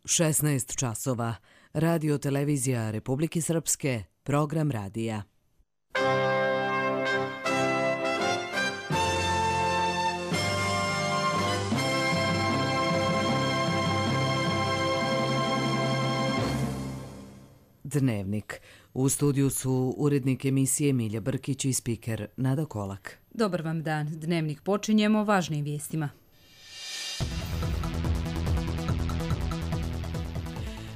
16 časova. Radio televizija Republike Srpske, program radija. Dnevnik. U studiju su urednik emisije Milja Brkić i spiker Nada Kolak. Dobar vam dan. Dnevnik počinjemo važnim vijestima.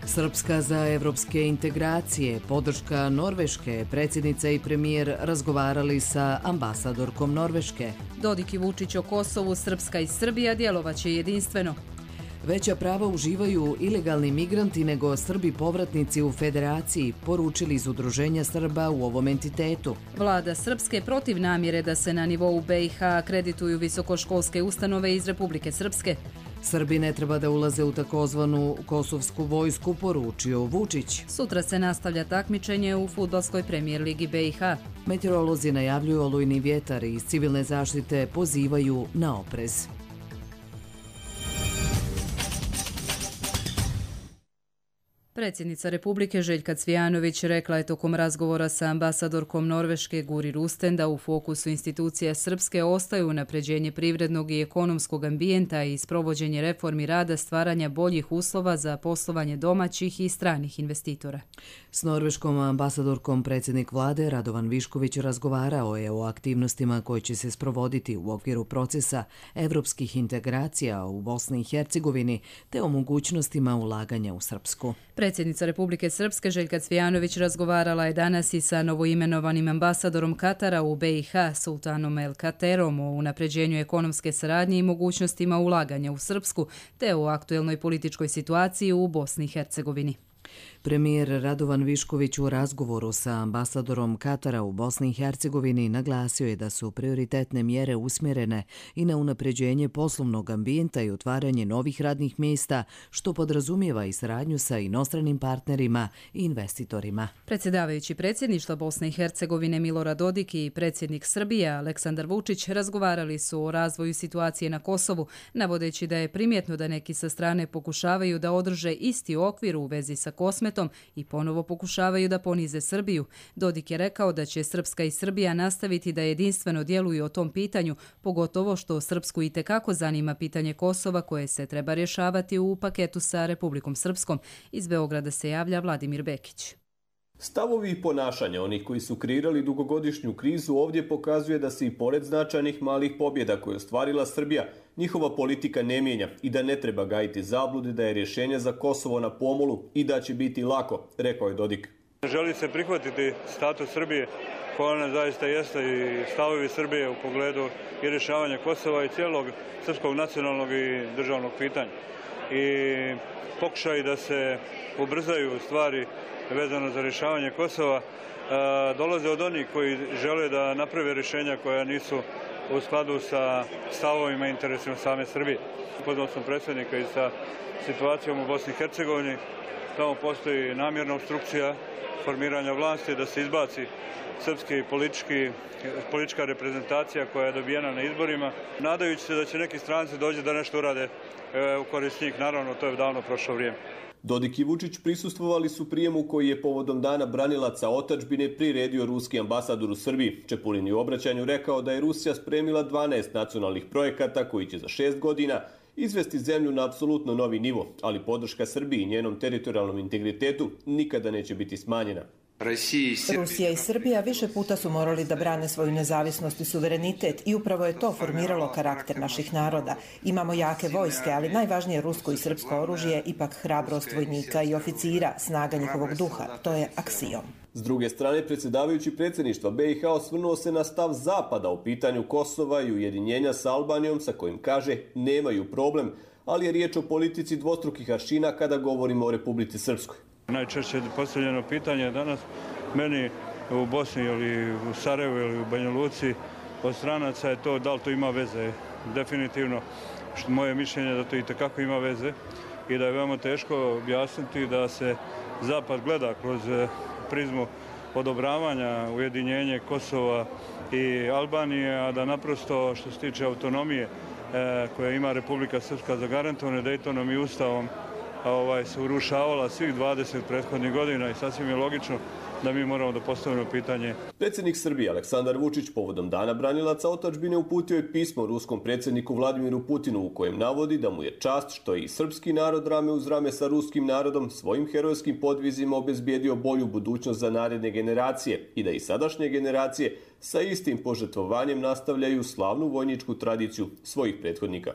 Srpska za evropske integracije, podrška Norveške, predsjednica i premijer razgovarali sa ambasadorkom Norveške. Dodik i Vučić o Kosovu, Srpska i Srbija djelovaće jedinstveno. Veća prava uživaju ilegalni migranti nego Srbi povratnici u Federaciji, poručili iz Udruženja Srba u ovom entitetu. Vlada Srpske protiv namjere da se na nivou BiH akredituju visokoškolske ustanove iz Republike Srpske. Srbi ne treba da ulaze u takozvanu kosovsku vojsku, poručio Vučić. Sutra se nastavlja takmičenje u fudbalskoj premijer ligi BiH. Meteorolozi najavljuju olujni vjetar i iz civilne zaštite pozivaju na oprez. Predsjednica Republike Željka Cvijanović rekla je tokom razgovora sa ambasadorkom Norveške Guri Rusten da u fokusu institucija Srpske ostaju unapređenje privrednog i ekonomskog ambijenta i sprovođenje reformi rada stvaranja boljih uslova za poslovanje domaćih i stranih investitora. S norveškom ambasadorkom predsjednik vlade Radovan Višković razgovarao je o aktivnostima koje će se sprovoditi u okviru procesa evropskih integracija u Bosni i Hercegovini te o mogućnostima ulaganja u Srpsku. Predsjednica Republike Srpske Željka Cvijanović razgovarala je danas i sa novoimenovanim ambasadorom Katara u BiH, Sultanom El Katerom, o unapređenju ekonomske saradnje i mogućnostima ulaganja u Srpsku, te o aktuelnoj političkoj situaciji u Bosni i Hercegovini. Premijer Radovan Višković u razgovoru sa ambasadorom Katara u Bosni i Hercegovini naglasio je da su prioritetne mjere usmjerene i na unapređenje poslovnog ambijenta i otvaranje novih radnih mjesta, što podrazumijeva i saradnju sa inostranim partnerima i investitorima. Predsjedavajući predsjedništva Bosne i Hercegovine Milorad Dodik i predsjednik Srbije Aleksandar Vučić razgovarali su o razvoju situacije na Kosovu, navodeći da je primjetno da neki sa strane pokušavaju da održe isti okvir u vezi sa Kosmetom i ponovo pokušavaju da ponize Srbiju. Dodik je rekao da će Srpska i Srbija nastaviti da jedinstveno djeluju o tom pitanju, pogotovo što Srpsku itekako zanima pitanje Kosova koje se treba rješavati u paketu sa Republikom Srpskom. Iz Beograda se javlja Vladimir Bekić. Stavovi i ponašanja onih koji su kreirali dugogodišnju krizu ovdje pokazuje da se i pored značajnih malih pobjeda koje je ostvarila Srbija, njihova politika ne mijenja i da ne treba gajiti zablude da je rješenje za Kosovo na pomolu i da će biti lako, rekao je Dodik. Želi se prihvatiti status Srbije, koja ona zaista jeste, i stavovi Srbije u pogledu i rješavanja Kosova i cijelog srpskog nacionalnog i državnog pitanja. I pokušaj da se ubrzaju stvari vezano za rješavanje Kosova dolaze od onih koji žele da naprave rješenja koja nisu u skladu sa stavovima i interesima same Srbije. Upoznao sam predsjednika i sa situacijom u Bosni i Hercegovini. Tamo postoji namjerna obstrukcija formiranja vlasti da se izbaci srpski politička reprezentacija koja je dobijena na izborima. Nadajući se da će neki stranci dođe da nešto urade u korist njih, naravno to je davno prošlo vrijeme. Dodik i Vučić prisustvovali su prijemu koji je povodom dana branilaca otadžbine priredio ruski ambasador u Srbiji. Čepulin je u obraćanju rekao da je Rusija spremila 12 nacionalnih projekata koji će za 6 godina izvesti zemlju na apsolutno novi nivo, ali podrška Srbiji i njenom teritorijalnom integritetu nikada neće biti smanjena. Rusija i Srbija više puta su morali da brane svoju nezavisnost i suverenitet i upravo je to formiralo karakter naših naroda. Imamo jake vojske, ali najvažnije rusko i srpsko oružje je ipak hrabrost vojnika i oficira, snaga njihovog duha. To je aksiom. S druge strane, predsjedavajući predsjedništva BiH osvrnuo se na stav Zapada u pitanju Kosova i ujedinjenja sa Albanijom, sa kojim kaže nemaju problem, ali je riječ o politici dvostrukih aršina kada govorimo o Republici Srpskoj. Najčešće postavljeno pitanje danas meni u Bosni ili u Sarajevu ili u Banja Luci od stranaca je to da li to ima veze. Definitivno moje mišljenje je da to itekako ima veze i da je veoma teško objasniti da se Zapad gleda kroz prizmu odobravanja ujedinjenje Kosova i Albanije, a da naprosto što se tiče autonomije koja ima Republika Srpska zagarantovane Dejtonom i Ustavom se urušavala svih 20 prethodnih godina i sasvim je logično da mi moramo da postavimo pitanje. Predsjednik Srbije Aleksandar Vučić povodom Dana branilaca otadžbine uputio je pismo ruskom predsjedniku Vladimiru Putinu u kojem navodi da mu je čast što je i srpski narod rame uz rame sa ruskim narodom svojim herojskim podvizima obezbijedio bolju budućnost za naredne generacije i da i sadašnje generacije sa istim požrtvovanjem nastavljaju slavnu vojničku tradiciju svojih prethodnika.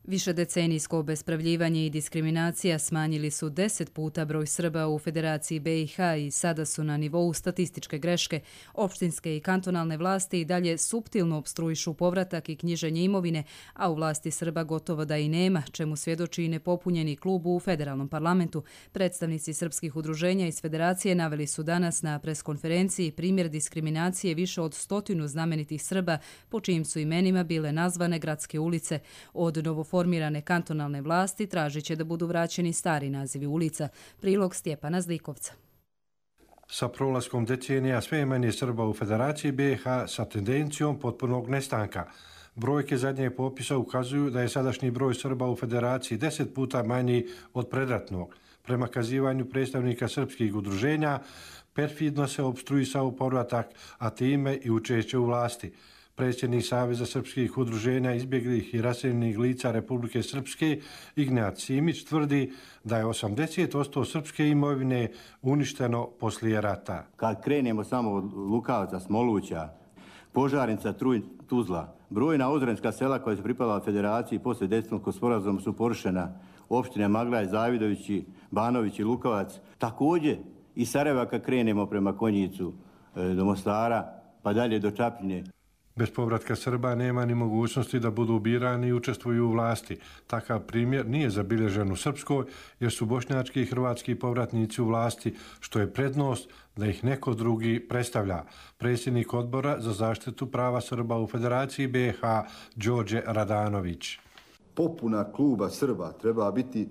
Višedecenijsko obespravljivanje i diskriminacija smanjili su 10 puta broj Srba u Federaciji BiH i sada su na nivou statističke greške. Opštinske i kantonalne vlasti i dalje suptilno opstruišu povratak i knjiženje imovine, a u vlasti Srba gotovo da i nema, čemu svjedoči i nepopunjeni klub u federalnom parlamentu. Predstavnici srpskih udruženja iz Federacije naveli su danas na preskonferenciji primjer diskriminacije više od 100 znamenitih Srba, po čijim su imenima bile nazvane gradske ulice. Od novoformirane kantonalne vlasti tražit će da budu vraćeni stari nazivi ulica. Prilog Stjepana Zlikovca. Sa prolaskom decenija sve je manje Srba u Federaciji BiH sa tendencijom potpunog nestanka. Brojke zadnjeg popisa ukazuju da je sadašnji broj Srba u Federaciji 10 puta manji od predratnog. Prema kazivanju predstavnika srpskih udruženja, perfidno se opstruisao povratak, a time i učešće u vlasti. Predsjednik Saveza srpskih udruženja izbjeglih i raseljenih lica Republike Srpske, Ignjat Simić, tvrdi da je 80% srpske imovine uništeno poslije rata. Kad krenemo samo od Lukavca, Smoluća, Požarenica, Tuzla, brojna ozrenska sela koja su pripala Federaciji poslije Dejtonskog sporazuma su porušena. Opštine Maglaj, Zavidovići, Banović i Lukavac. Također i Sarajeva kad krenemo prema Konjicu do Mostara, pa dalje do Čapljine. Bez povratka Srba nema ni mogućnosti da budu birani i učestvuju u vlasti. Takav primjer nije zabilježen u Srpskoj jer su bošnjački i hrvatski povratnici u vlasti, što je prednost da ih neko drugi predstavlja. Predsjednik odbora za zaštitu prava Srba u Federaciji BiH Đorđe Radanović. Popuna kluba Srba treba biti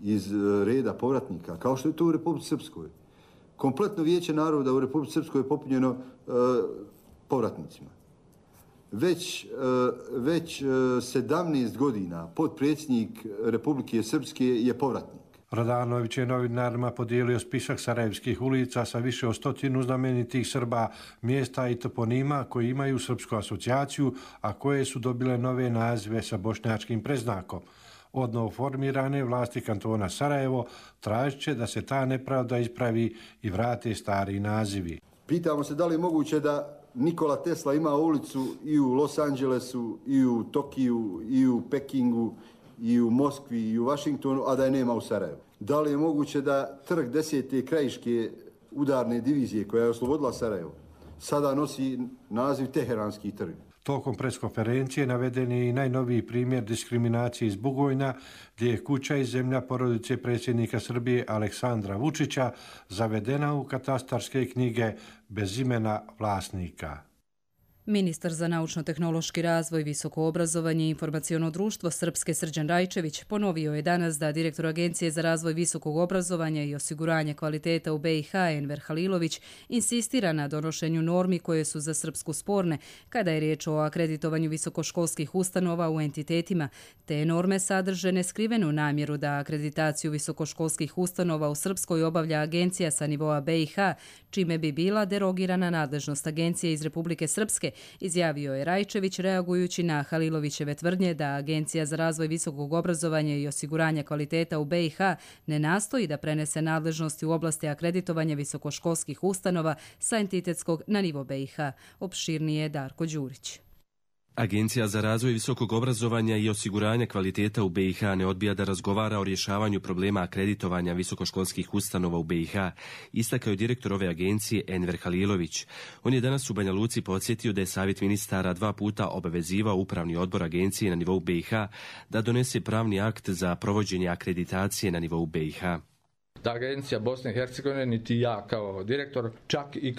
iz reda povratnika, kao što je to u Republici Srpskoj. Kompletno vijeće naroda u Republici Srpskoj je popunjeno povratnicima. Već 17 godina potpredsjednik Republike Srpske je povratnik. Radanović je novinarima podijelio spisak sarajevskih ulica sa više od 100 znamenitih Srba, mjesta i toponima koji imaju srpsku asocijaciju, a koje su dobile nove nazive sa bošnjačkim predznakom. Od novoformirane vlasti kantona Sarajevo tražit će da se ta nepravda ispravi i vrate stari nazivi. Pitamo se da li je moguće da Nikola Tesla ima ulicu i u Los Angelesu, i u Tokiju, i u Pekingu, i u Moskvi, i u Vašingtonu, a da je nema u Sarajevu. Da li je moguće da trg 10. krajiške udarne divizije koja je oslobodila Sarajevo sada nosi naziv Teheranski trg? Tokom preskonferencije naveden je i najnoviji primjer diskriminacije iz Bugojna, gdje je kuća i zemlja porodice predsjednika Srbije Aleksandra Vučića zavedena u katastarske knjige bez imena vlasnika. Ministar za naučno-tehnološki razvoj, visoko obrazovanje i informaciono društvo Srpske Srđan Rajčević ponovio je danas da direktor Agencije za razvoj visokog obrazovanja i osiguranje kvaliteta u BiH Enver Halilović insistira na donošenju normi koje su za Srpsku sporne kada je riječ o akreditovanju visokoškolskih ustanova u entitetima. Te norme sadrže neskrivenu namjeru da akreditaciju visokoškolskih ustanova u Srpskoj obavlja agencija sa nivoa BiH, čime bi bila derogirana nadležnost agencije iz Republike Srpske, izjavio je Rajčević reagujući na Halilovićeve tvrdnje da Agencija za razvoj visokog obrazovanja i osiguranja kvaliteta u BiH ne nastoji da prenese nadležnosti u oblasti akreditovanja visokoškolskih ustanova sa entitetskog na nivo BiH. Opširnije Darko Đurić. Agencija za razvoj visokog obrazovanja i osiguranja kvaliteta u BiH ne odbija da razgovara o rješavanju problema akreditovanja visokoškolskih ustanova u BiH, istakao je direktor ove agencije Enver Halilović. On je danas u Banja Luci podsjetio da je Savjet ministara 2 puta obavezivao upravni odbor agencije na nivou BiH da donese pravni akt za provođenje akreditacije na nivou BiH. Da Agencija Bosne i Hercegovine, niti ja kao direktor, čak i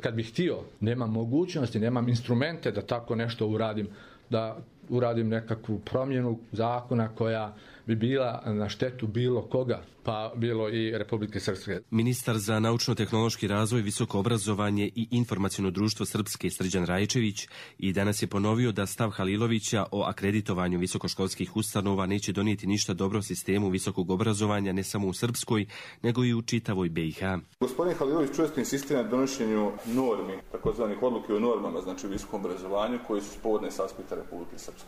kad bih htio, nemam mogućnosti, nemam instrumente da tako nešto uradim, da uradim nekakvu promjenu zakona koja bi bila na štetu bilo koga, pa bilo i Republike Srpske. Ministar za naučno-tehnološki razvoj, visoko obrazovanje i informaciono društvo Srpske Srđan Rajčević i danas je ponovio da stav Halilovića o akreditovanju visokoškolskih ustanova neće donijeti ništa dobro sistemu visokog obrazovanja ne samo u Srpskoj, nego i u čitavoj BiH. Gospodin Halilović često insistira na donošenju normi, takozvanih odluke o normama, znači u visokom obrazovanju, koji su spovodne s aspekta Republike Srpske.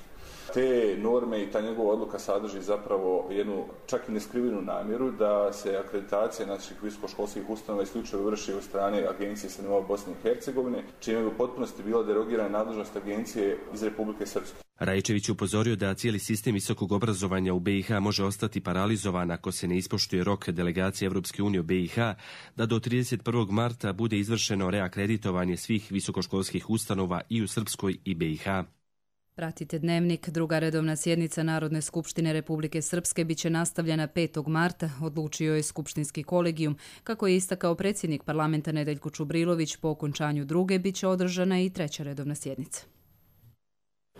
Te norme i ta njegova odluka sadrži zapravo jednu čak i neskrivenu namjeru da se akreditacija naših visokoškolskih ustanova isključivo vrši od strane agencije sa nivoa Bosne i Hercegovine, čime je u potpunosti bila derogirana nadležnost agencije iz Republike Srpske. Rajčević upozorio da cijeli sistem visokog obrazovanja u BiH može ostati paralizovan ako se ne ispoštuje rok delegacije Evropske unije u BiH, da do 31. marta bude izvršeno reakreditovanje svih visokoškolskih ustanova i u Srpskoj i BiH. Pratite Dnevnik. Druga redovna sjednica Narodne skupštine Republike Srpske biće nastavljena 5. marta, odlučio je skupštinski kolegijum. Kako je istakao predsjednik parlamenta Nedeljko Čubrilović, po okončanju druge biće održana i treća redovna sjednica.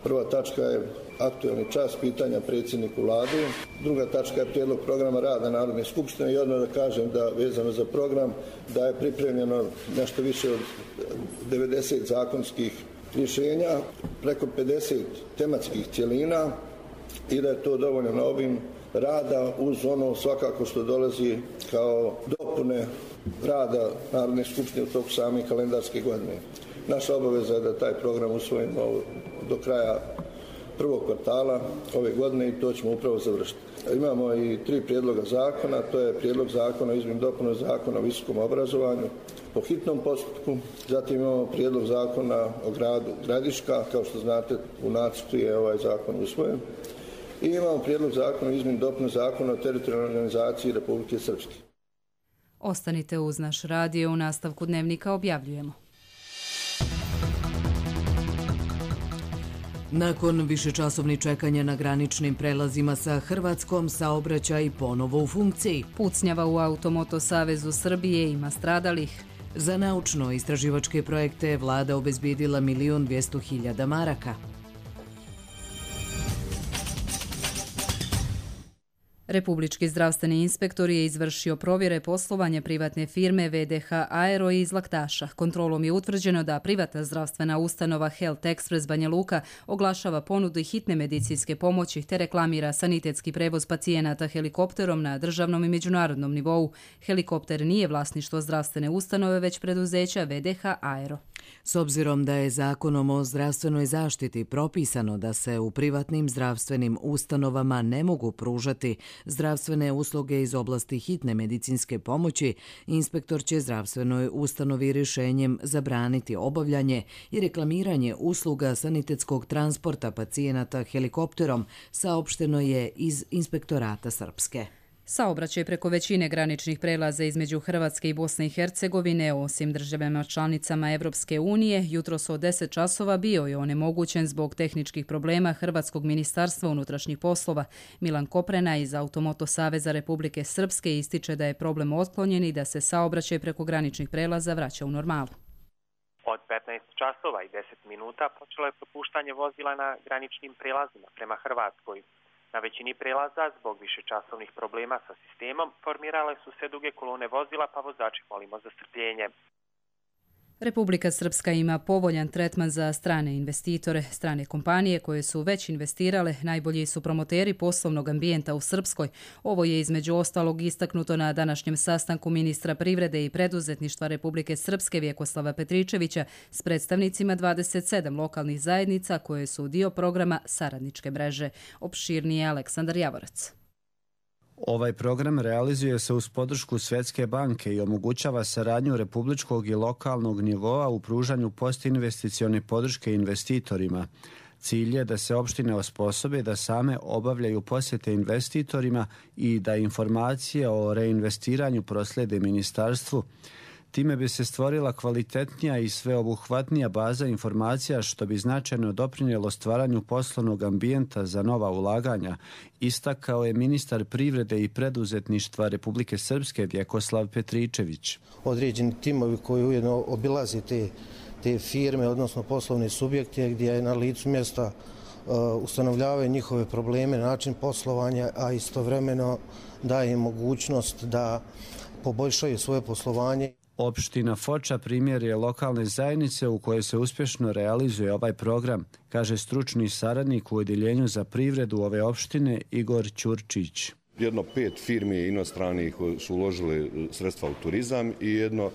Prva tačka je aktualni čas pitanja predsjedniku vlade. Druga tačka je prijedlog programa rada Narodne skupštine i odmah da kažem da vezano za program da je pripremljeno nešto više od 90 zakonskih rješenja, preko 50 tematskih cjelina i da je to dovoljno obim rada uz ono svakako što dolazi kao dopune rada Narodne skupštine u toku same kalendarske godine. Naša obaveza je da taj program usvojimo do kraja prvog kvartala ove godine i to ćemo upravo završiti. Imamo i 3 prijedloga zakona, to je prijedlog zakona o izmjeni i dopuni Zakona o visokom obrazovanju po hitnom postupku, zatim imamo prijedlog zakona o gradu Gradiška, kao što znate u nacrtu je ovaj zakon usvojen, i imamo prijedlog zakona o izmjeni i dopuni Zakona o teritorijalnoj organizaciji Republike Srpske. Ostanite uz naš radio, u nastavku Dnevnika objavljujemo. Nakon višečasovnih čekanja na graničnim prelazima sa Hrvatskom, saobraćaj ponovo u funkciji. Pucnjava u Automoto Savezu Srbije, ima stradalih. Za naučno-istraživačke projekte vlada obezbijedila 1.200.000 maraka. Republički zdravstveni inspektor je izvršio provjere poslovanja privatne firme VDH Aero iz Laktaša. Kontrolom je utvrđeno da privatna zdravstvena ustanova Health Express Banja Luka oglašava ponudu hitne medicinske pomoći te reklamira sanitetski prevoz pacijenata helikopterom na državnom i međunarodnom nivou. Helikopter nije vlasništvo zdravstvene ustanove, već preduzeća VDH Aero. S obzirom da je Zakonom o zdravstvenoj zaštiti propisano da se u privatnim zdravstvenim ustanovama ne mogu pružati zdravstvene usluge iz oblasti hitne medicinske pomoći, inspektor će zdravstvenoj ustanovi rješenjem zabraniti obavljanje i reklamiranje usluga sanitetskog transporta pacijenata helikopterom, saopšteno je iz Inspektorata Srpske. Saobraćaj preko većine graničnih prelaza između Hrvatske i Bosne i Hercegovine, osim državama članicama Evropske unije, jutros od 10 časova bio je onemogućen zbog tehničkih problema Hrvatskog ministarstva unutrašnjih poslova. Milan Koprena iz Automoto Saveza Republike Srpske ističe da je problem otklonjen i da se saobraćaj preko graničnih prelaza vraća u normalu. Od 15 časova i 10 minuta počelo je propuštanje vozila na graničnim prelazima prema Hrvatskoj. Na većini prelaza, zbog višečasovnih problema sa sistemom, formirale su se duge kolone vozila, pa vozači molimo za strpljenje. Republika Srpska ima povoljan tretman za strane investitore. Strane kompanije koje su već investirale najbolji su promoteri poslovnog ambijenta u Srpskoj. Ovo je između ostalog istaknuto na današnjem sastanku ministra privrede i preduzetništva Republike Srpske Vjekoslava Petričevića s predstavnicima 27 lokalnih zajednica koje su dio programa Saradničke mreže. Opširnije Aleksandar Javorac. Ovaj program realizuje se uz podršku Svjetske banke i omogućava saradnju republičkog i lokalnog nivoa u pružanju postinvesticione podrške investitorima. Cilj je da se opštine osposobe da same obavljaju posjete investitorima i da informacije o reinvestiranju proslede ministarstvu. Time bi se stvorila kvalitetnija i sveobuhvatnija baza informacija što bi značajno doprinijelo stvaranju poslovnog ambijenta za nova ulaganja, istakao je ministar privrede i preduzetništva Republike Srpske Vjekoslav Petričević. Određeni timovi koji ujedno obilaze te firme, odnosno poslovne subjekte gdje je na licu mjesta ustanovljavaju njihove probleme, način poslovanja, a istovremeno daje im mogućnost da poboljšaju svoje poslovanje. Opština Foča primjer je lokalne zajednice u kojoj se uspješno realizuje ovaj program, kaže stručni saradnik u Odjeljenju za privredu ove opštine Igor Ćurčić. Jedno 5 firmi inostranih su uložili sredstva u turizam i jedno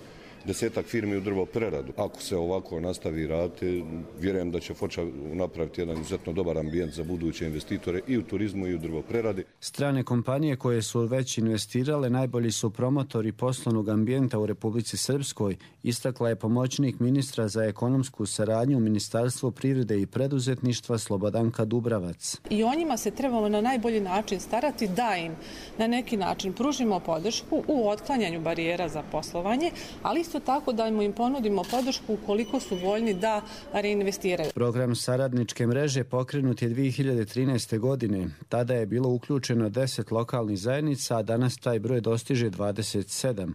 10-ak firmi u drvopreradu. Ako se ovako nastavi raditi, vjerujem da će Foča napraviti jedan izuzetno dobar ambijent za buduće investitore i u turizmu i u drvopreradi. Strane kompanije koje su već investirale najbolji su promotori poslovnog ambijenta u Republici Srpskoj, istakla je pomoćnik ministra za ekonomsku saradnju u Ministarstvu privrede i preduzetništva Slobodanka Dubravac. I o njima se trebamo na najbolji način starati da im na neki način pružimo podršku u otklanjanju barijera za poslovanje, ali isto tako da im ponudimo podršku ukoliko su voljni da reinvestiraju. Program saradničke mreže pokrenut je 2013. godine. Tada je bilo uključeno 10 lokalnih zajednica, a danas taj broj dostiže 27.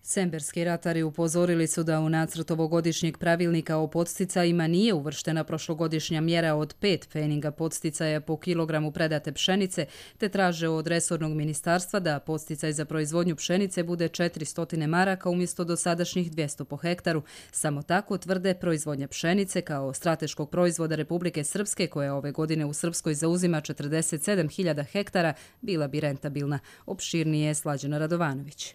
Semberski ratari upozorili su da u nacrt ovogodišnjeg pravilnika o podsticajima nije uvrštena prošlogodišnja mjera od 5 pfeninga podsticaja po kilogramu predate pšenice, te traže od resornog ministarstva da podsticaj za proizvodnju pšenice bude 400 maraka umjesto dosadašnjih 200 po hektaru. Samo tako tvrde proizvodnja pšenice kao strateškog proizvoda Republike Srpske, koja ove godine u Srpskoj zauzima 47.000 hektara, bila bi rentabilna. Opširnije je Slađana Radovanović.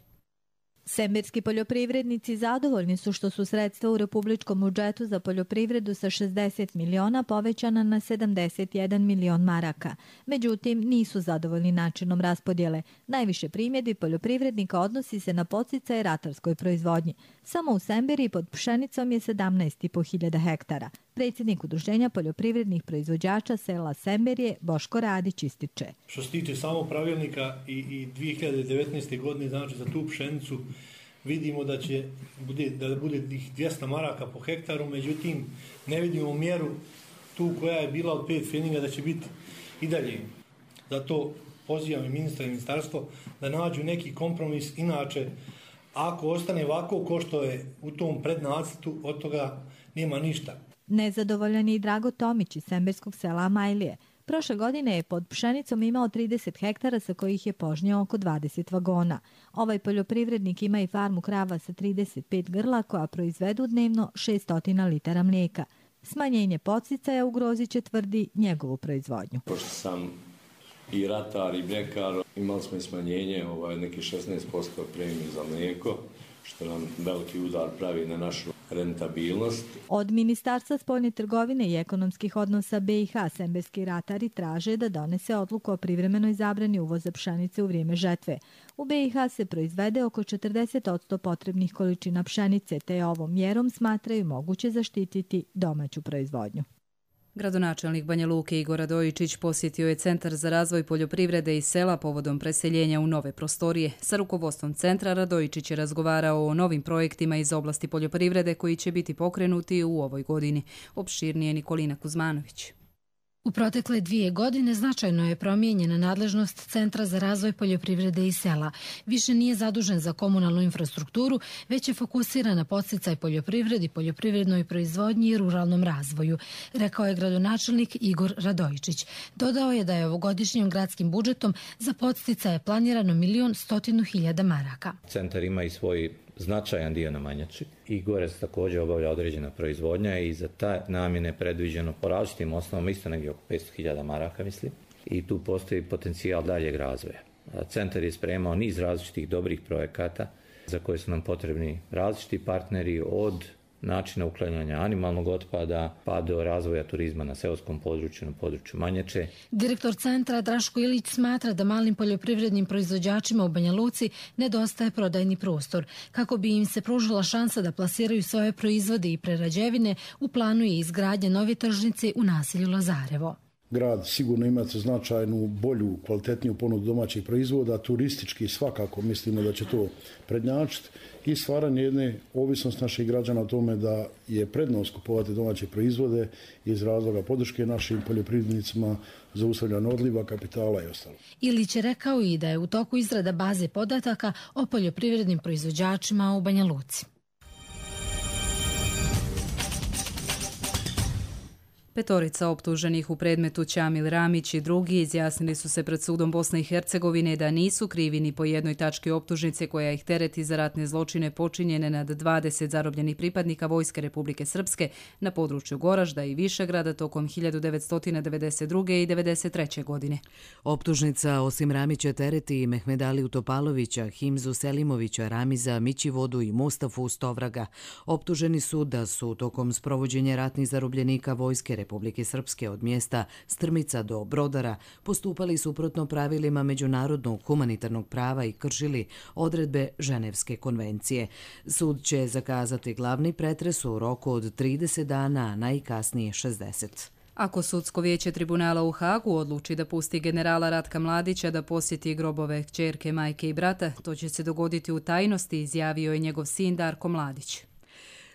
Semberski poljoprivrednici zadovoljni su što su sredstva u republičkom budžetu za poljoprivredu sa 60 miliona povećana na 71 milion maraka. Međutim, nisu zadovoljni načinom raspodjele. Najviše primjedbi poljoprivrednika odnosi se na podsticaje ratarskoj proizvodnji. Samo u Semberi pod pšenicom je 17.500 hektara. Predsjednik Udruženja poljoprivrednih proizvođača sela Semberije Boško Radić ističe. Što se tiče samog pravilnika i 2019. godine, znači za tu pšenicu, vidimo da će da bude 200 maraka po hektaru, međutim ne vidimo mjeru tu koja je bila od 5 pfeninga da će biti i dalje. Zato pozivam i ministra i ministarstvo da nađu neki kompromis, inače ako ostane ovako ko što je u tom prednacrtu, od toga nema ništa. Nezadovoljan je i Drago Tomić iz semberskog sela Amajlije. Prošle godine je pod pšenicom imao 30 hektara sa kojih je požnjao oko 20 vagona. Ovaj poljoprivrednik ima i farmu krava sa 35 grla koja proizvedu dnevno 600 litara mlijeka. Smanjenje podsticaja ugrozit će, tvrdi, njegovu proizvodnju. Pošto sam i ratar i mljekar, imali smo i smanjenje neki 16% premije za mlijeko, što nam veliki udar pravi na našu rentabilnost. Od Ministarstva spoljne trgovine i ekonomskih odnosa BiH semberski ratari traže da donese odluku o privremenoj zabrani uvoza pšenice u vrijeme žetve. U BiH se proizvede oko 40% potrebnih količina pšenice, te ovom mjerom smatraju moguće zaštititi domaću proizvodnju. Gradonačelnik Banja Luke Igor Radojičić posjetio je Centar za razvoj poljoprivrede i sela povodom preseljenja u nove prostorije. Sa rukovodstvom centra Radojičić je razgovarao o novim projektima iz oblasti poljoprivrede koji će biti pokrenuti u ovoj godini. Opširnije Nikolina Kuzmanović. U protekle 2 godine značajno je promijenjena nadležnost Centra za razvoj poljoprivrede i sela. Više nije zadužen za komunalnu infrastrukturu, već je fokusiran na podsticaj poljoprivredi, poljoprivrednoj proizvodnji i ruralnom razvoju, rekao je gradonačelnik Igor Radojičić. Dodao je da je ovogodišnjim gradskim budžetom za podsticaje planirano 1.100.000 maraka. Centar ima i svoj značajan dio na Manjači i gore se također obavlja određena proizvodnja i za ta namjene predviđeno po različitim osnovama isto negdje oko 500.000 maraka, mislim. I tu postoji potencijal daljeg razvoja. Centar je spremao niz različitih dobrih projekata za koje su nam potrebni različiti partneri, od načina uklanjanja animalnog otpada pa do razvoja turizma na seoskom području, na području Manjače. Direktor centra Draško Ilić smatra da malim poljoprivrednim proizvođačima u Banja Luci nedostaje prodajni prostor. Kako bi im se pružila šansa da plasiraju svoje proizvode i prerađevine, u planu je izgradnja nove tržnice u naselju Lazarevo. Grad sigurno ima značajnu, bolju, kvalitetniju ponudu domaćih proizvoda, turistički svakako mislimo da će to prednjačiti i stvaranje jedne ovisnosti naših građana o tome da je prednost kupovati domaće proizvode iz razloga podrške našim poljoprivrednicima, zaustavljanja odliva kapitala i ostalo. Ilić je rekao i da je u toku izrada baze podataka o poljoprivrednim proizvođačima u Banja Luci. 5 optuženih u predmetu Ćamil Ramić i drugi izjasnili su se pred sudom Bosne i Hercegovine da nisu krivi ni po jednoj tački optužnice koja ih tereti za ratne zločine počinjene nad 20 zarobljenih pripadnika Vojske Republike Srpske na području Goražda i Višegrada tokom 1992. i 1993. godine. Optužnica osim Ramića tereti i Mehmedaliju Topalovića, Himzu Selimovića, Ramiza Mićivodu i Mustafu Stovraga. Optuženi su da su tokom sprovođenja ratnih zarobljenika Vojske Republike Srpske od mjesta Strmica do Brodara postupali suprotno pravilima međunarodnog humanitarnog prava i kršili odredbe Ženevske konvencije. Sud će zakazati glavni pretres u roku od 30 dana, a najkasnije 60. Ako sudsko vijeće tribunala u Hagu odluči da pusti generala Ratka Mladića da posjeti grobove kćerke, majke i brata, to će se dogoditi u tajnosti, izjavio je njegov sin Darko Mladić.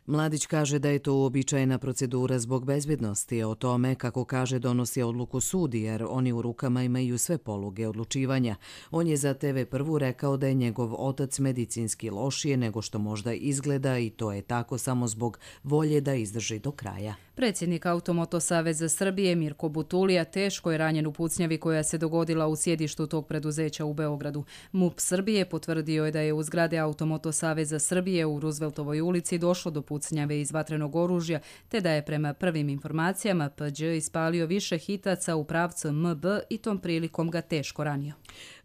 Mladić kaže da je to uobičajena procedura zbog bezbjednosti. O tome, kako kaže, donosi odluku sud, jer oni u rukama imaju sve poluge odlučivanja. On je za TV1 rekao da je njegov otac medicinski lošije nego što možda izgleda i to je tako samo zbog volje da izdrži do kraja. Predsjednik Automoto Saveza Srbije Mirko Butulija teško je ranjen u pucnjavi koja se dogodila u sjedištu tog preduzeća u Beogradu. MUP Srbije potvrdio je da je u zgrade Automoto Saveza Srbije u Rooseveltovoj ulici došlo do pucnjave iz vatrenog oružja, te da je prema prvim informacijama Pđ ispalio više hitaca u pravcu MB i tom prilikom ga teško ranio.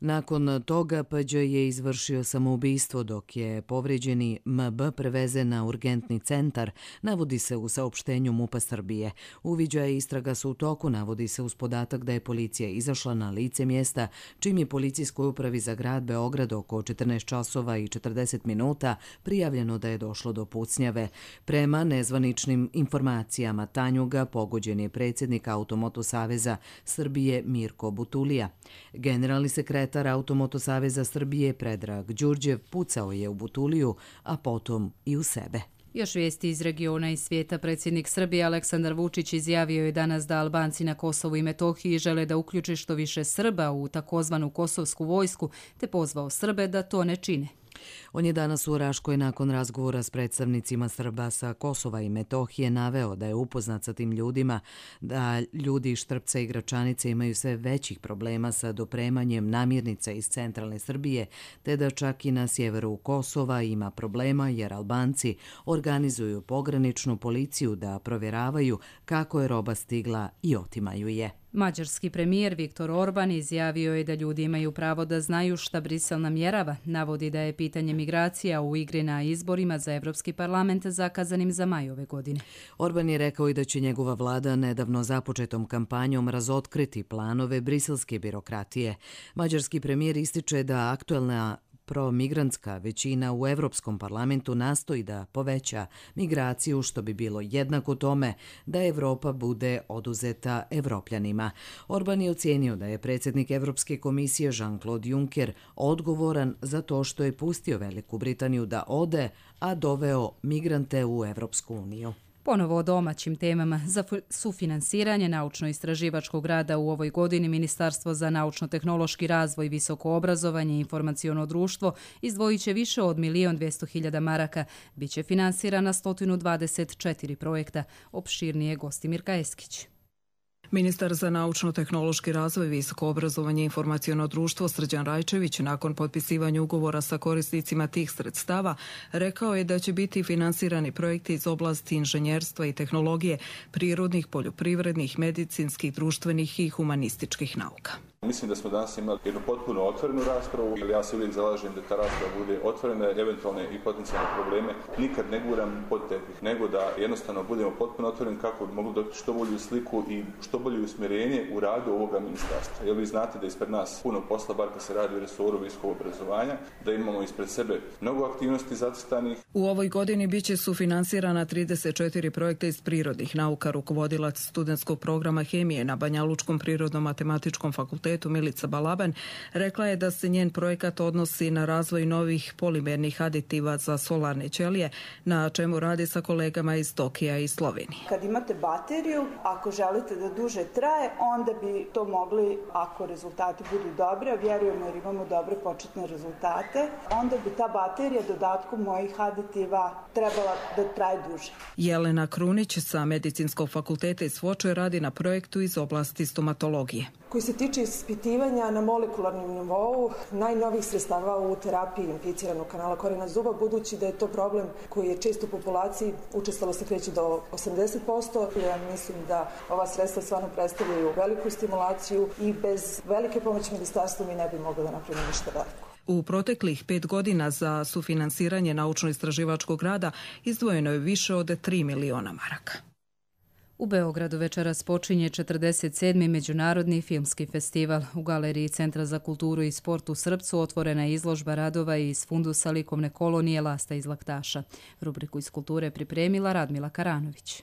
Nakon toga Pđ je izvršio samoubistvo dok je povrijeđeni MB prevezen na urgentni centar, navodi se u saopštenju MUP-a Srbije. Uviđaje istraga su u toku, navodi se uz podatak da je policija izašla na lice mjesta, čim je policijskoj upravi za grad Beograd oko 14 časova i 40 minuta prijavljeno da je došlo do pucnjave. Prema nezvaničnim informacijama Tanjuga pogođen je predsjednik Automoto Saveza Srbije Mirko Butulija. Generalni sekretar Automoto Saveza Srbije Predrag Đurđev pucao je u Butuliju, a potom i u sebe. Još vijesti iz regiona i svijeta. Predsjednik Srbije Aleksandar Vučić izjavio je danas da Albanci na Kosovu i Metohiji žele da uključe što više Srba u takozvanu kosovsku vojsku, te pozvao Srbe da to ne čine. On je danas u Raškoj nakon razgovora s predstavnicima Srba sa Kosova i Metohije naveo da je upoznat sa tim ljudima, da ljudi iz Štrpca i Gračanice imaju sve većih problema sa dopremanjem namirnica iz centralne Srbije, te da čak i na sjeveru Kosova ima problema jer Albanci organizuju pograničnu policiju da provjeravaju kako je roba stigla i otimaju je. Mađarski premijer Viktor Orban izjavio je da ljudi imaju pravo da znaju šta Brisel namjerava. Navodi da je pitanje migracija u igri na izborima za Evropski parlament zakazanim za maj ove godine. Orban je rekao i da će njegova vlada nedavno započetom kampanjom razotkriti planove briselske birokratije. Mađarski premijer ističe da aktuelna promigrantska većina u Evropskom parlamentu nastoji da poveća migraciju, što bi bilo jednako tome da Evropa bude oduzeta Evropljanima. Orban je ocijenio da je predsjednik Evropske komisije Jean-Claude Juncker odgovoran za to što je pustio Veliku Britaniju da ode, a doveo migrante u Evropsku uniju. Ponovo o domaćim temama. Za sufinansiranje naučno-istraživačkog rada u ovoj godini Ministarstvo za naučno-tehnološki razvoj, visoko obrazovanje i informaciono društvo izdvojit će više od 1.200.000 maraka. Biće finansirana 124 projekta. Opširnije Gostimir Kajeskić. Ministar za naučno-tehnološki razvoj, visoko obrazovanje i informaciono društvo Srđan Rajčević nakon potpisivanja ugovora sa korisnicima tih sredstava rekao je da će biti finansirani projekti iz oblasti inženjerstva i tehnologije, prirodnih, poljoprivrednih, medicinskih, društvenih i humanističkih nauka. Mislim da smo danas imali jednu potpuno otvorenu raspravu, jer ja se uvijek zalažem da ta rasprava bude otvorena, eventualne i potencijalne probleme nikad ne guram pod tepih, nego da jednostavno budemo potpuno otvoreni kako bi mogli dobiti što bolju sliku i što bolje usmjerenje u radu ovoga ministarstva. Jer vi znate da ispred nas puno posla, bar kad se radi o resoru visokog obrazovanja, da imamo ispred sebe mnogo aktivnosti zacrtanih. U ovoj godini biće sufinansirana 34 projekta iz prirodnih nauka. Rukovodilac studentskog programa hemije na Banjalučkom prirodno-matematičkom fakultetu fakultetu Milica Balaban rekla je da se njen projekat odnosi na razvoj novih polimernih aditiva za solarne ćelije, na čemu radi sa kolegama iz Tokija i Slovenije. Kad imate bateriju, ako želite da duže traje, onda bi to mogli, ako rezultati budu dobri, a vjerujemo jer imamo dobre početne rezultate, onda bi ta baterija dodatkom mojih aditiva trebala da traje duže. Jelena Krunić sa Medicinskog fakulteta iz Foče radi na projektu iz oblasti stomatologije. Koji se tiče ispitivanja na molekularnom nivou najnovih sredstava u terapiji inficiranog kanala korijena zuba, budući da je to problem koji je često u populaciji, učestalo se kreće do 80%. Ja mislim da ova sredstva stvarno predstavljaju veliku stimulaciju i bez velike pomoći ministarstva mi ne bi mogli da napravimo ništa veliko. U proteklih 5 godina za sufinansiranje naučno-istraživačkog rada izdvojeno je više od 3 miliona maraka. U Beogradu večeras počinje 47. Međunarodni filmski festival. U galeriji Centra za kulturu i sport u Srpcu otvorena je izložba radova iz fundusa likovne kolonije Lasta iz Laktaša. Rubriku iz kulture pripremila Radmila Karanović.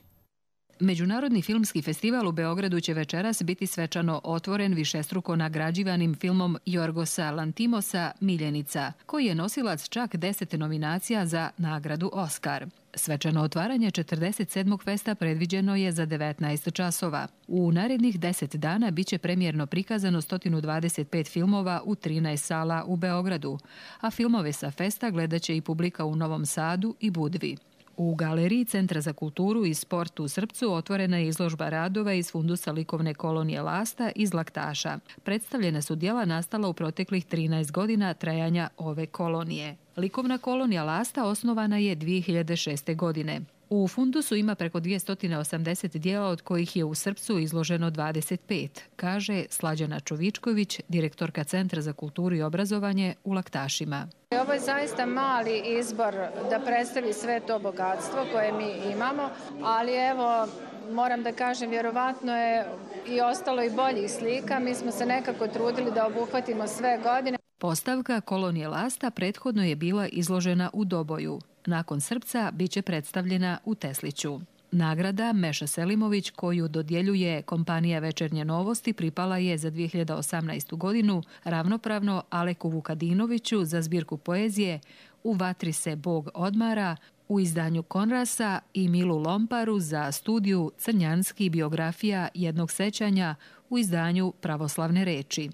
Međunarodni filmski festival u Beogradu će večeras biti svečano otvoren višestruko nagrađivanim filmom Jorgosa Lantimosa Miljenica, koji je nosilac čak 10 nominacija za nagradu Oskar. Svečano otvaranje 47. festa predviđeno je za 19 časova. U narednih 10 dana biće premijerno prikazano 125 filmova u 13 sala u Beogradu, a filmove sa festa gledaće i publika u Novom Sadu i Budvi. U galeriji Centra za kulturu i sport u Srpcu otvorena je izložba radova iz fundusa likovne kolonije Lasta iz Laktaša. Predstavljena su djela nastala u proteklih 13 godina trajanja ove kolonije. Likovna kolonija Lasta osnovana je 2006. godine. U fundusu ima preko 280 dijela, od kojih je u Srpcu izloženo 25, kaže Slađana Čovičković, direktorka Centra za kulturu i obrazovanje u Laktašima. Ovo je zaista mali izbor da predstavi sve to bogatstvo koje mi imamo, ali evo, moram da kažem, vjerovatno je i ostalo i boljih slika. Mi smo se nekako trudili da obuhvatimo sve godine. Postavka kolonije Lasta prethodno je bila izložena u Doboju. Nakon Srpca biće predstavljena u Tesliću. Nagrada Meša Selimović, koju dodjeljuje kompanija Večernje novosti, pripala je za 2018. godinu ravnopravno Aleku Vukadinoviću za zbirku poezije U vatri se Bog odmara u izdanju Konrasa i Milu Lomparu za studiju Crnjanski biografija jednog sećanja u izdanju Pravoslavne reči.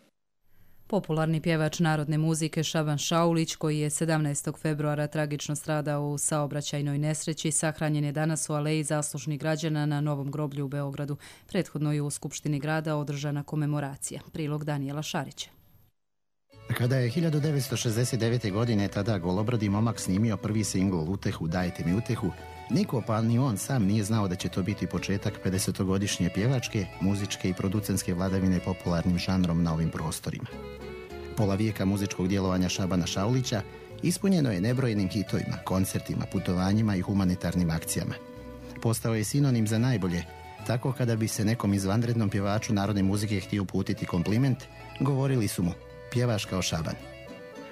Popularni pjevač narodne muzike Šaban Šaulić, koji je 17. februara tragično stradao u saobraćajnoj nesreći, sahranjen je danas u aleji zaslužnih građana na Novom groblju u Beogradu. Prethodno je u Skupštini grada održana komemoracija. Prilog Danijela Šarića. Kada je 1969. godine tada golobradi momak snimio prvi singl Utehu, dajte mi utehu, niko pa ni on sam nije znao da će to biti početak 50-godišnje pjevačke, muzičke i producentske vladavine popularnim žanrom na ovim prostorima. Pola vijeka muzičkog djelovanja Šabana Šaulića ispunjeno je nebrojenim hitovima, koncertima, putovanjima i humanitarnim akcijama. Postao je sinonim za najbolje, tako kada bi se nekom izvanrednom pjevaču narodne muzike htio uputiti kompliment, govorili su mu: pjevaš kao Šaban.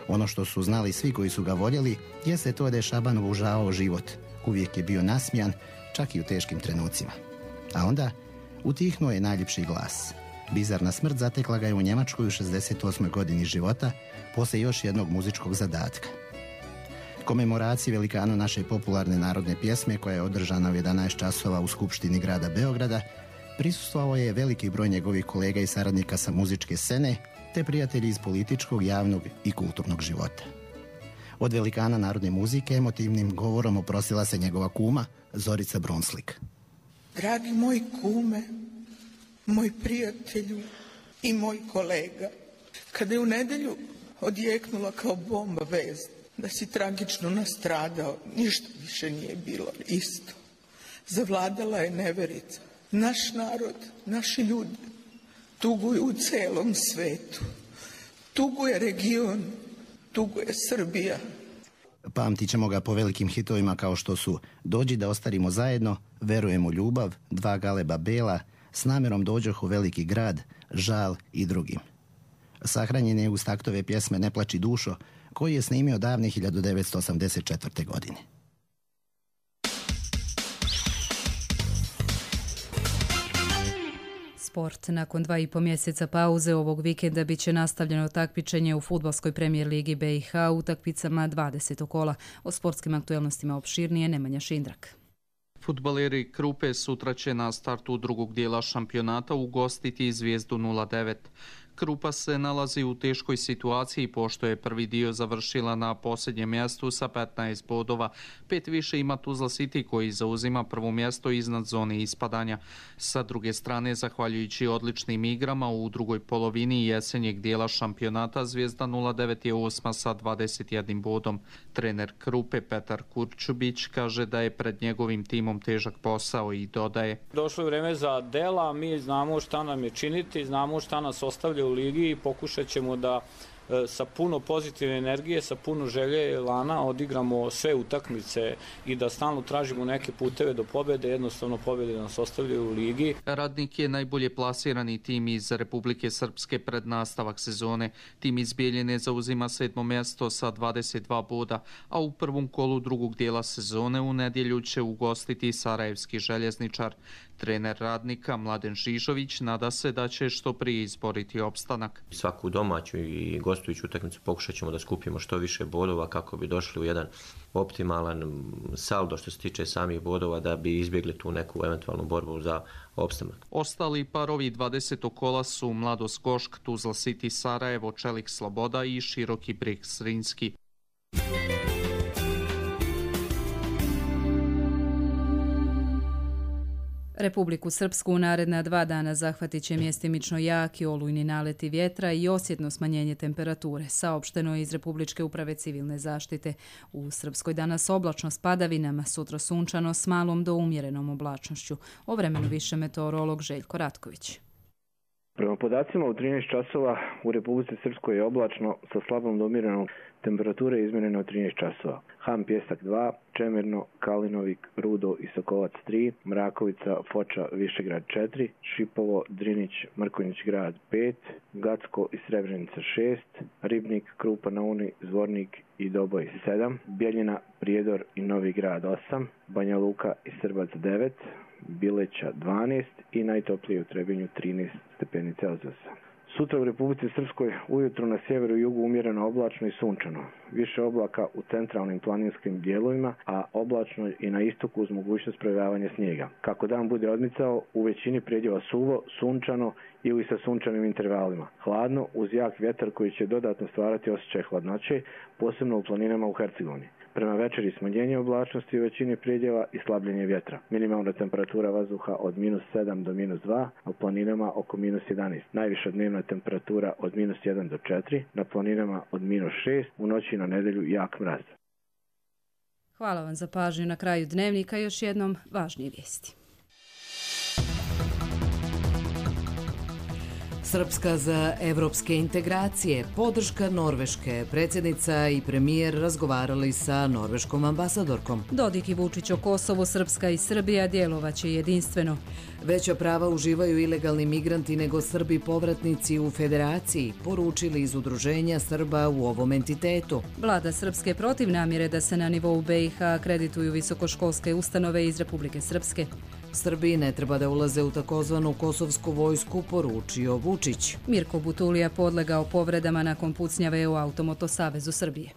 Ono što su znali svi koji su ga voljeli jeste to da je Šaban uvažavao život. Uvijek je bio nasmijan, čak i u teškim trenucima. A onda utihnuo je najljepši glas. Bizarna smrt zatekla ga je u Njemačkoj u 68. godini života, poslije još jednog muzičkog zadatka. Komemoraciji velikanu naše popularne narodne pjesme, koja je održana u 11 časova u Skupštini grada Beograda, prisustvovao je veliki broj njegovih kolega i saradnika sa muzičke scene, te prijatelji iz političkog, javnog i kulturnog života. Od velikana narodne muzike emotivnim govorom oprostila se njegova kuma Zorica Brunslik. Dragi moj kume, moj prijatelju i moj kolega, kada je u nedjelju odjeknula kao bomba vest da si tragično nastradao, ništa više nije bilo isto. Zavladala je neverica. Naš narod, naši ljudi tuguju u celom svetu. Tuguje region, tuguje Srbija. Pamtit ćemo ga po velikim hitovima kao što su Dođi da ostarimo zajedno, Verujem u ljubav, Dva galeba bela, S namjerom dođoh u veliki grad, Žal i drugim. Sahranjen je uz taktove pjesme Ne plači dušo, koji je snimio davne 1984. godine. Sport. Nakon 2,5 mjeseca pauze ovog vikenda bit će nastavljeno takmičenje u fudbalskoj premijer ligi BiH u utakmicama 20. kola. O sportskim aktuelnostima opširnije Nemanja Šindrak. Fudbaleri Krupe sutra će na startu drugog dijela šampionata ugostiti Zvijezdu 09. Krupa se nalazi u teškoj situaciji pošto je prvi dio završila na posljednjem mjestu sa 15 bodova. 5 više ima Tuzla City koji zauzima prvo mjesto iznad zone ispadanja. Sa druge strane, zahvaljujući odličnim igrama u drugoj polovini jesenjeg dijela šampionata, Zvijezda 09 je osma sa 21 bodom. Trener Krupe Petar Kurčubić kaže da je pred njegovim timom težak posao i dodaje: Došlo je vreme za dela, mi znamo šta nam je činiti, znamo šta nas ostavlja u ligi i pokušat ćemo da sa puno pozitivne energije, sa puno želje i elana odigramo sve utakmice i da stalno tražimo neke puteve do pobjede, jednostavno pobjede nas ostavljaju u ligi. Radnik je najbolje plasirani tim iz Republike Srpske pred nastavak sezone. Tim iz Bijeljine zauzima 7. mjesto sa 22 boda, a u prvom kolu drugog dijela sezone u nedjelju će ugostiti Sarajevski željezničar. Trener Radnika Mladen Žižović nada se da će što prije izboriti opstanak. Svaku domaću i gostujuću utakmicu pokušat ćemo da skupimo što više bodova kako bi došli u jedan optimalan saldo što se tiče samih bodova da bi izbjegli tu neku eventualnu borbu za opstanak. Ostali parovi 20. kola su Mladost Gošk, Tuzla City Sarajevo, Čelik Sloboda i Široki Brijeg Zrinski. Republiku Srpsku u naredna 2 dana zahvatit će mjestimično jaki olujni naleti vjetra i osjetno smanjenje temperature, saopšteno je iz Republičke uprave civilne zaštite. U Srpskoj danas oblačno s padavinama, sutra sunčano s malom do umjerenom oblačnošću. O vremenu više meteorolog Željko Ratković. Prema podacima u 13 časova u Republici Srpskoj je oblačno sa slabom do umjerenom temperature izmjereno 13 časova. Han Pjesak 2, Čemerno, Kalinovik, Rudo i Sokolac 3, Mrakovica, Foča, Višegrad 4, Šipovo, Drinić, Mrkonjić grad 5, Gacko i Srebrenica 6, Ribnik, Krupa na Uni, Zvornik i Doboj 7, Bijeljina, Prijedor i Novi grad 8, Banja Luka i Srbac 9, Bileća 12 i najtoplije u Trebinju 13 stepeni Celzijusa. Sutra u Republici Srpskoj ujutro na sjeveru i jugu umjereno oblačno i sunčano. Više oblaka u centralnim planinskim dijelovima, a oblačno i na istoku uz mogućnost projavljavanja snijega. Kako dan bude odmicao, u većini predjela suvo, sunčano ili sa sunčanim intervalima. Hladno uz jak vjetar koji će dodatno stvarati osjećaj hladnoće, posebno u planinama u Hercegovini. Prema večeri smanjenje oblačnosti u većini predjela i slabljenje vjetra. Minimalna temperatura vazduha od -7 do -2, a u planinama oko -11. Najviša dnevna temperatura od -1 do 4, na planinama od -6, u noći na nedjelju jak mraz. Hvala vam za pažnju. Na kraju dnevnika još jednom važnije vijesti. Srpska za evropske integracije, podrška Norveške. Predsjednica i premijer razgovarali sa norveškom ambasadorkom. Dodik i Vučić o Kosovu, Srpska i Srbija djelovaće jedinstveno. Veća prava uživaju ilegalni migranti nego Srbi povratnici u federaciji, poručili iz udruženja Srba u ovom entitetu. Vlada Srpske protiv namjere da se na nivou BiH akredituju visokoškolske ustanove iz Republike Srpske. Srbiji ne treba da ulaze u takozvanu kosovsku vojsku, poručio Vučić. Mirko Butulija podlegao povredama nakon pucnjave u Automoto Savezu Srbije.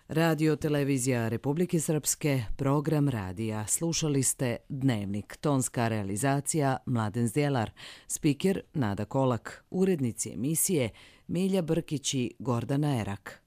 Radio Televizija Republike Srpske, program radija. Slušali ste Dnevnik. Tonska realizacija Mladen Zdjelar. Spiker Nada Kolak. Urednici emisije Milja Brkić i Gordana Erak.